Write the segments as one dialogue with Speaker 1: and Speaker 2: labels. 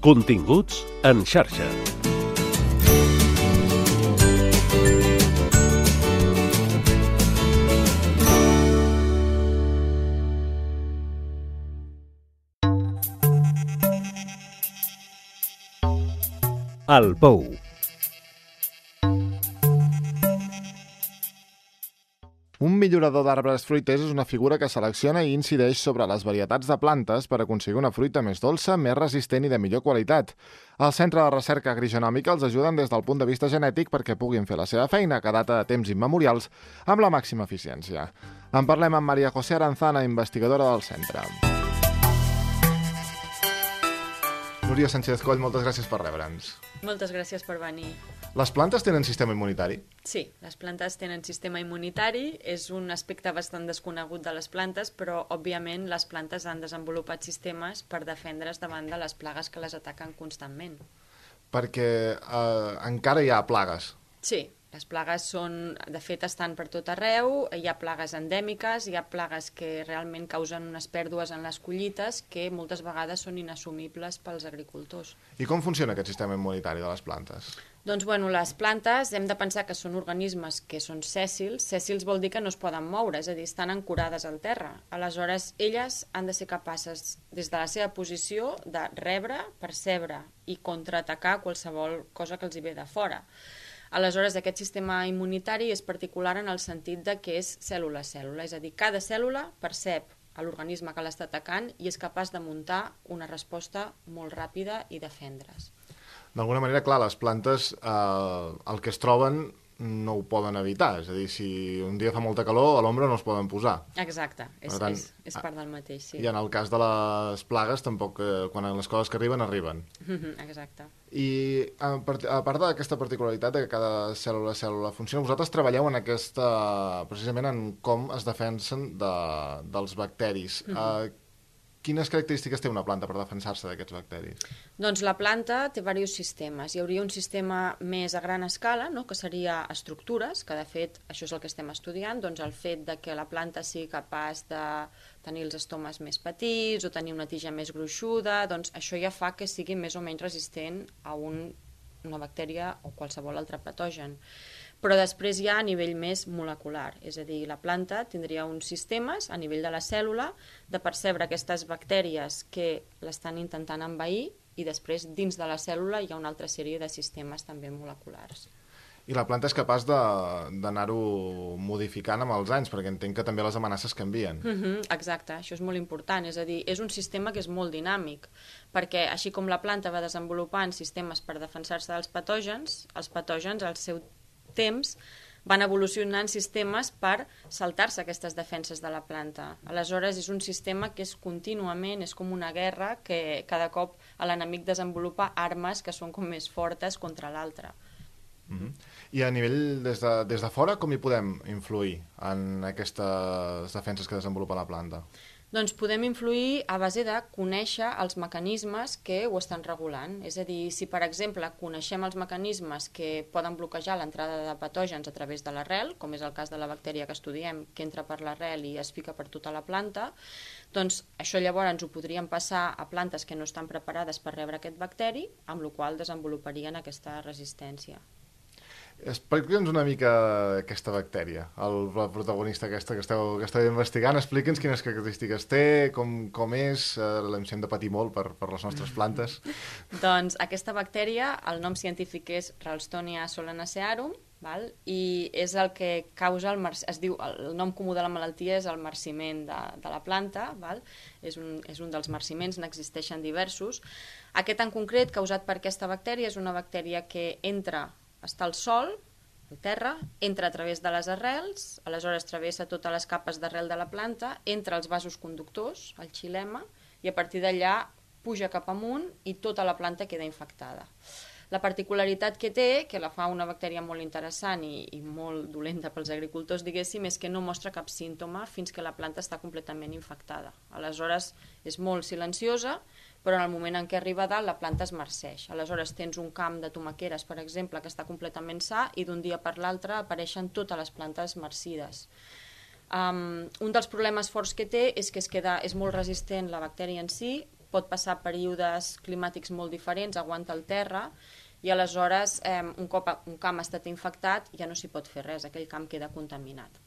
Speaker 1: Continguts en xarxa. El Pou.
Speaker 2: Un millorador d'arbres fruiters és una figura que selecciona i incideix sobre les varietats de plantes per aconseguir una fruita més dolça, més resistent i de millor qualitat. El Centre de Recerca Agrogenòmica els ajuden des del punt de vista genètic perquè puguin fer la seva feina, que data de temps immemorials, amb la màxima eficiència. En parlem amb María José Aranzana, investigadora del centre. Núria Sánchez Coll, moltes gràcies per rebre'ns.
Speaker 3: Moltes gràcies per venir.
Speaker 2: Les plantes tenen sistema immunitari?
Speaker 3: Sí, les plantes tenen sistema immunitari. És un aspecte bastant desconegut de les plantes, però, òbviament, les plantes han desenvolupat sistemes per defendre's davant de les plagues que les ataquen constantment.
Speaker 2: Perquè encara hi ha plagues.
Speaker 3: Sí, les plagues són, de fet, estan per tot arreu. Hi ha plagues endèmiques, hi ha plagues que realment causen unes pèrdues en les collites que moltes vegades són inassumibles pels agricultors.
Speaker 2: I com funciona aquest sistema immunitari de les plantes?
Speaker 3: Doncs, les plantes hem de pensar que són organismes que són sèssils. Sèssils vol dir que no es poden moure, és a dir, estan ancorades al terra. Aleshores, elles han de ser capaces, des de la seva posició, de rebre, percebre i contraatacar qualsevol cosa que els hi ve de fora. Aleshores, aquest sistema immunitari és particular en el sentit de que és cèl·lula a cèl·lula, és a dir, cada cèl·lula percep a l'organisme que l'està atacant i és capaç de muntar una resposta molt ràpida i defendre's.
Speaker 2: D'alguna manera, clar, les plantes el que es troben no ho poden evitar, és a dir, si un dia fa molta calor, a l'ombra no es poden posar.
Speaker 3: Exacte, és part del mateix, sí.
Speaker 2: I en el cas de les plagues, tampoc, quan les coses que arriben, arriben.
Speaker 3: Exacte.
Speaker 2: I a part d'aquesta particularitat de que cada cèl·lula funciona, vosaltres treballeu en precisament en com es defensen dels bacteris. Quines característiques té una planta per defensar-se d'aquests bacteris?
Speaker 3: Doncs la planta té diversos sistemes. Hi hauria un sistema més a gran escala, que seria estructures, que de fet això és el que estem estudiant, doncs el fet de que la planta sigui capaç de tenir els estomes més petits o tenir una tija més gruixuda, doncs això ja fa que sigui més o menys resistent a una bactèria o qualsevol altre patogen. Però després hi ha a nivell més molecular, és a dir, la planta tindria uns sistemes a nivell de la cèl·lula de percebre aquestes bactèries que l'estan intentant envair i després dins de la cèl·lula hi ha una altra sèrie de sistemes també moleculars.
Speaker 2: I la planta és capaç d'anar-ho modificant amb els anys, perquè entenc que també les amenaces canvien.
Speaker 3: Exacte, això és molt important, és a dir, és un sistema que és molt dinàmic, perquè així com la planta va desenvolupant sistemes per defensar-se dels patògens, els patògens al seu temps van evolucionant sistemes per saltar-se aquestes defenses de la planta. Aleshores, és un sistema que és contínuament, és com una guerra que cada cop l'enemic desenvolupa armes que són com més fortes contra l'altre.
Speaker 2: I a nivell, des de fora, com hi podem influir en aquestes defenses que desenvolupa la planta?
Speaker 3: Doncs podem influir a base de conèixer els mecanismes que ho estan regulant. És a dir, si per exemple coneixem els mecanismes que poden bloquejar l'entrada de patògens a través de l'arrel, com és el cas de la bactèria que estudiem, que entra per l'arrel i es fica per tota la planta, doncs això llavors ens ho podríem passar a plantes que no estan preparades per rebre aquest bacteri, amb la qual cosa desenvoluparien aquesta resistència.
Speaker 2: Explica'ns una mica aquesta bactèria, la protagonista aquesta que esteu investigant. Explica'ns quines característiques té, com és, si hem de patir molt per les nostres plantes.
Speaker 3: Doncs aquesta bactèria, el nom científic és Ralstonia solanacearum, i és el que causa, es diu, el nom comú de la malaltia és el marciment de la planta, és un dels marciments, n'existeixen diversos. Aquest en concret, causat per aquesta bactèria, és una bactèria que està al sol, al terra, entra a través de les arrels, aleshores travessa totes les capes d'arrel de la planta, entra als vasos conductors, al xilema, i a partir d'allà puja cap amunt i tota la planta queda infectada. La particularitat que té, que la fa una bactèria molt interessant i molt dolenta pels agricultors, diguéssim, és que no mostra cap símptoma fins que la planta està completament infectada. Aleshores, és molt silenciosa, però en el moment en què arriba a dalt la planta es marceix. Aleshores tens un camp de tomaqueres, per exemple, que està completament sa i d'un dia per l'altre apareixen totes les plantes marcides. Un dels problemes forts que té és que és molt resistent la bactèria en si, pot passar períodes climàtics molt diferents, aguanta el terra, i aleshores un cop un camp ha estat infectat ja no s'hi pot fer res, aquell camp queda contaminat.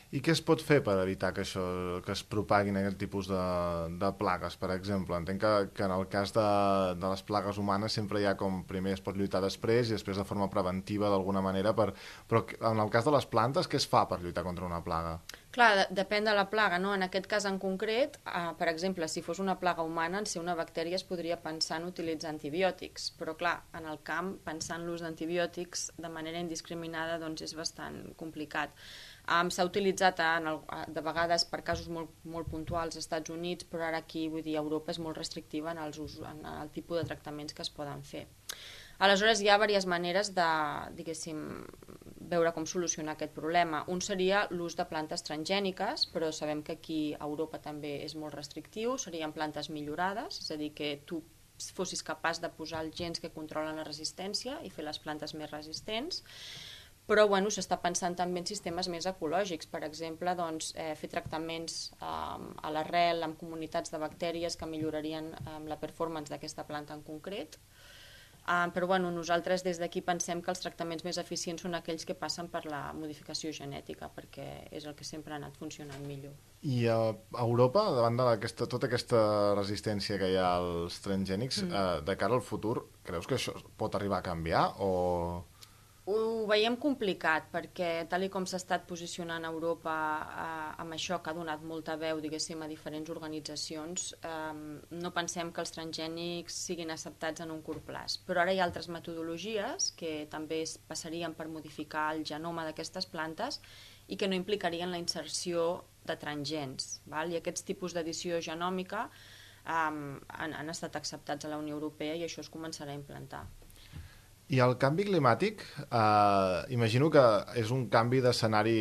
Speaker 2: I què es pot fer per evitar que es propaguin aquest tipus de plagues, per exemple? Entenc que en el cas de les plagues humanes sempre hi ha com primer es pot lluitar després i després de forma preventiva d'alguna manera, però en el cas de les plantes què es fa per lluitar contra una plaga?
Speaker 3: Clar, depèn de la plaga, no? En aquest cas en concret, per exemple, si fos una plaga humana, en ser una bactèria es podria pensar en utilitzar antibiòtics, però clar, en el camp, pensar en l'ús d'antibiòtics de manera indiscriminada doncs és bastant complicat. S'ha utilitzat de vegades per casos molt puntuals als Estats Units, però ara aquí, vull dir, Europa és molt restrictiva en el tipus de tractaments que es poden fer. Aleshores, hi ha diverses maneres de, diguéssim, veure com solucionar aquest problema. Un seria l'ús de plantes transgèniques, però sabem que aquí a Europa també és molt restrictiu, serien plantes millorades, és a dir, que tu fossis capaç de posar els gens que controlen la resistència i fer les plantes més resistents. Però bueno, s'està pensant també en sistemes més ecològics, per exemple, doncs, fer tractaments a l'arrel amb comunitats de bactèries que millorarien la performance d'aquesta planta en concret. Però bueno, nosaltres des d'aquí pensem que els tractaments més eficients són aquells que passen per la modificació genètica, perquè és el que sempre ha anat funcionant millor.
Speaker 2: I a Europa, davant de tota aquesta resistència que hi ha als transgènics, de cara al futur, creus que això pot arribar a canviar o...?
Speaker 3: Ho veiem complicat perquè tal com s'ha estat posicionant a Europa amb això que ha donat molta veu, diguéssim, a diferents organitzacions, no pensem que els transgènics siguin acceptats en un curt plaç. Però ara hi ha altres metodologies que també passarien per modificar el genoma d'aquestes plantes i que no implicarien la inserció de transgèns. I aquests tipus d'edició genòmica han estat acceptats a la Unió Europea i això es començarà a implantar.
Speaker 2: I el canvi climàtic, imagino que és un canvi d'escenari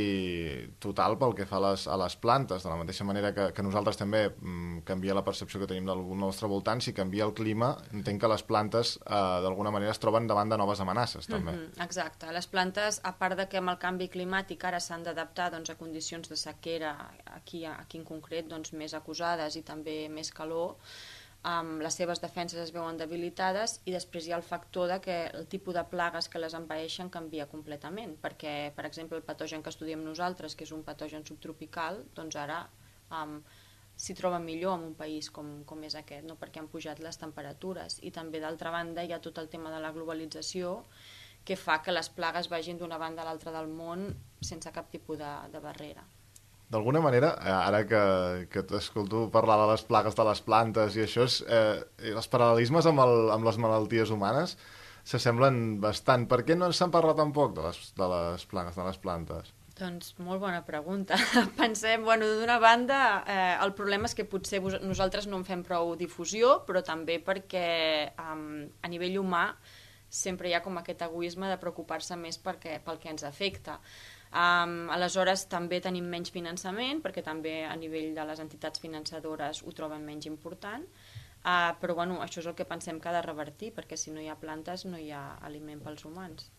Speaker 2: total pel que fa a les plantes, de la mateixa manera que nosaltres també canvia la percepció que tenim del nostre voltant. Si canvia el clima, entenc que les plantes d'alguna manera es troben davant de noves amenaces, també.
Speaker 3: Exacte. Les plantes, a part de que amb el canvi climàtic ara s'han d'adaptar a condicions de sequera, aquí en concret més acusades i també més calor, les seves defenses es veuen debilitades i després hi ha el factor de que el tipus de plagues que les envaeixen canvia completament, perquè, per exemple, el patogen que estudiem nosaltres, que és un patogen subtropical, doncs ara s'hi troba millor en un país com és aquest, perquè han pujat les temperatures. I també, d'altra banda, hi ha tot el tema de la globalització que fa que les plagues vagin d'una banda a l'altra del món sense cap tipus de barrera.
Speaker 2: D'alguna manera, ara que t'escolto parlar de les plagues de les plantes i això, els paral·lelismes amb les malalties humanes s'assemblen bastant. Per què no se'n parla tan poc de les plagues de les plantes?
Speaker 3: Doncs molt bona pregunta. Pensem, d'una banda, el problema és que potser nosaltres no en fem prou difusió, però també perquè a nivell humà sempre hi ha com aquest egoisme de preocupar-se més pel que ens afecta. Aleshores també tenim menys finançament perquè també a nivell de les entitats finançadores ho troben menys important, però això és el que pensem que ha de revertir, perquè si no hi ha plantes no hi ha aliment pels humans.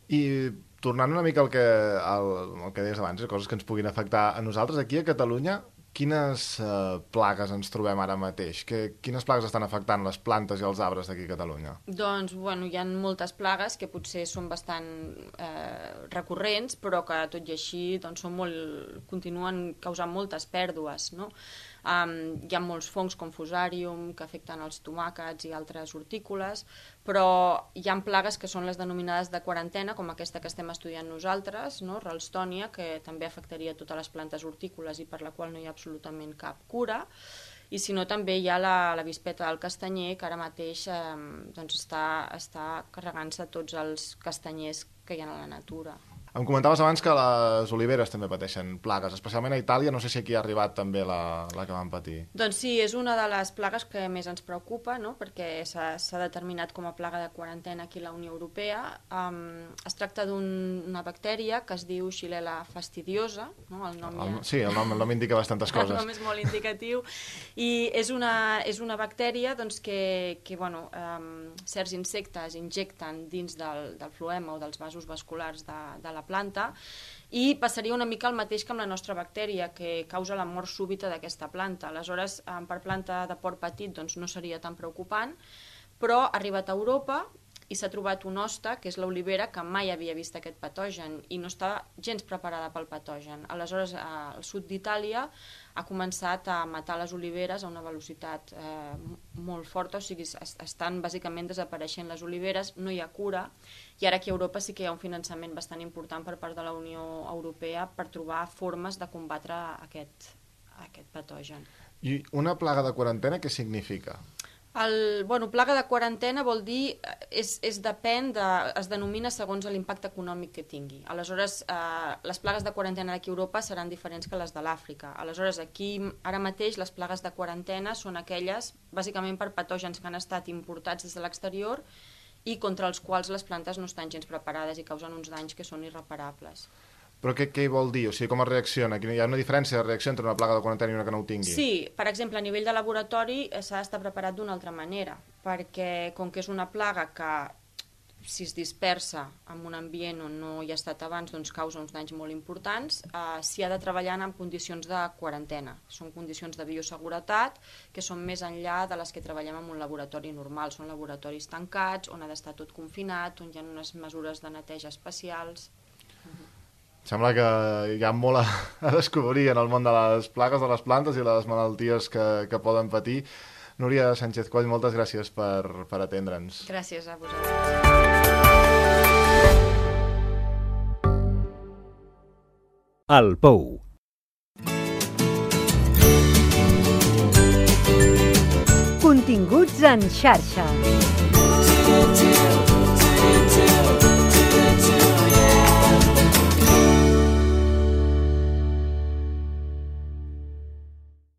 Speaker 2: I tornant una mica al que deies abans, coses que ens puguin afectar a nosaltres, aquí a Catalunya, quines plagues ens trobem ara mateix? Quines plagues estan afectant les plantes i els arbres d'aquí a Catalunya?
Speaker 3: Doncs, hi ha moltes plagues que potser són bastant recurrents, però que tot i així continuen causant moltes pèrdues, no? Hi ha molts fongs com fusàrium que afecten els tomàquets i altres hortícoles, però hi ha plagues que són les denominades de quarantena, com aquesta que estem estudiant nosaltres, no? Ralstonia, que també afectaria totes les plantes hortícoles i per la qual no hi ha absolutament cap cura. I si no, també hi ha la vispeta del castanyer, que ara mateix està carregant-se tots els castanyers que hi ha a la natura.
Speaker 2: Em comentaves abans que les oliveres també pateixen plagues, especialment a Itàlia. No sé si aquí ha arribat també la que van patir.
Speaker 3: Doncs sí, és una de les plagues que més ens preocupa, no? Perquè s'ha determinat com a plaga de quarantena aquí a la Unió Europea. Es tracta d'una bactèria que es diu Xylella fastidiosa. No? El
Speaker 2: nom indica bastantes coses.
Speaker 3: El nom és molt indicatiu. I és una bactèria que certs insectes injecten dins del floema o dels vasos vasculars de la la planta, i passaria una mica el mateix que amb la nostra bactèria, que causa la mort súbita d'aquesta planta. Aleshores, per planta de port petit doncs, no seria tan preocupant, però ha arribat a Europa i s'ha trobat un hoste, que és l'olivera, que mai havia vist aquest patogen i no està gens preparada pel patogen. Aleshores, al sud d'Itàlia ha començat a matar les oliveres a una velocitat molt forta, o sigui, estan bàsicament desapareixent les oliveres, no hi ha cura, i ara aquí a Europa sí que hi ha un finançament bastant important per part de la Unió Europea per trobar formes de combatre aquest patogen.
Speaker 2: I una plaga de quarantena què significa?
Speaker 3: Plaga de quarantena vol dir, es denomina segons l'impacte econòmic que tingui. Aleshores, les plagues de quarantena d'aquí a Europa seran diferents que les de l'Àfrica. Aleshores, aquí ara mateix les plagues de quarantena són aquelles, bàsicament per patògens que han estat importats des de l'exterior i contra els quals les plantes no estan gens preparades i causen uns danys que són irreparables.
Speaker 2: Però què vol dir? O sigui, com es reacciona? Hi ha una diferència de reacció entre una plaga de quarantena i una que no ho tingui?
Speaker 3: Sí, per exemple, a nivell de laboratori s'ha d'estar preparat d'una altra manera, perquè com que és una plaga que si es dispersa en un ambient on no hi ha estat abans, doncs causa uns danys molt importants, s'hi ha de treballar en condicions de quarantena. Són condicions de bioseguretat que són més enllà de les que treballem en un laboratori normal. Són laboratoris tancats, on ha d'estar tot confinat, on hi ha unes mesures de neteja especials.
Speaker 2: Sembla que hi ha molt a descobrir en el món de les plagues de les plantes i les malalties que poden patir. Núria Sánchez Coll, moltes gràcies per atendre'ns.
Speaker 3: Gràcies a vosaltres.
Speaker 1: El Pou.
Speaker 4: Continguts en xarxa.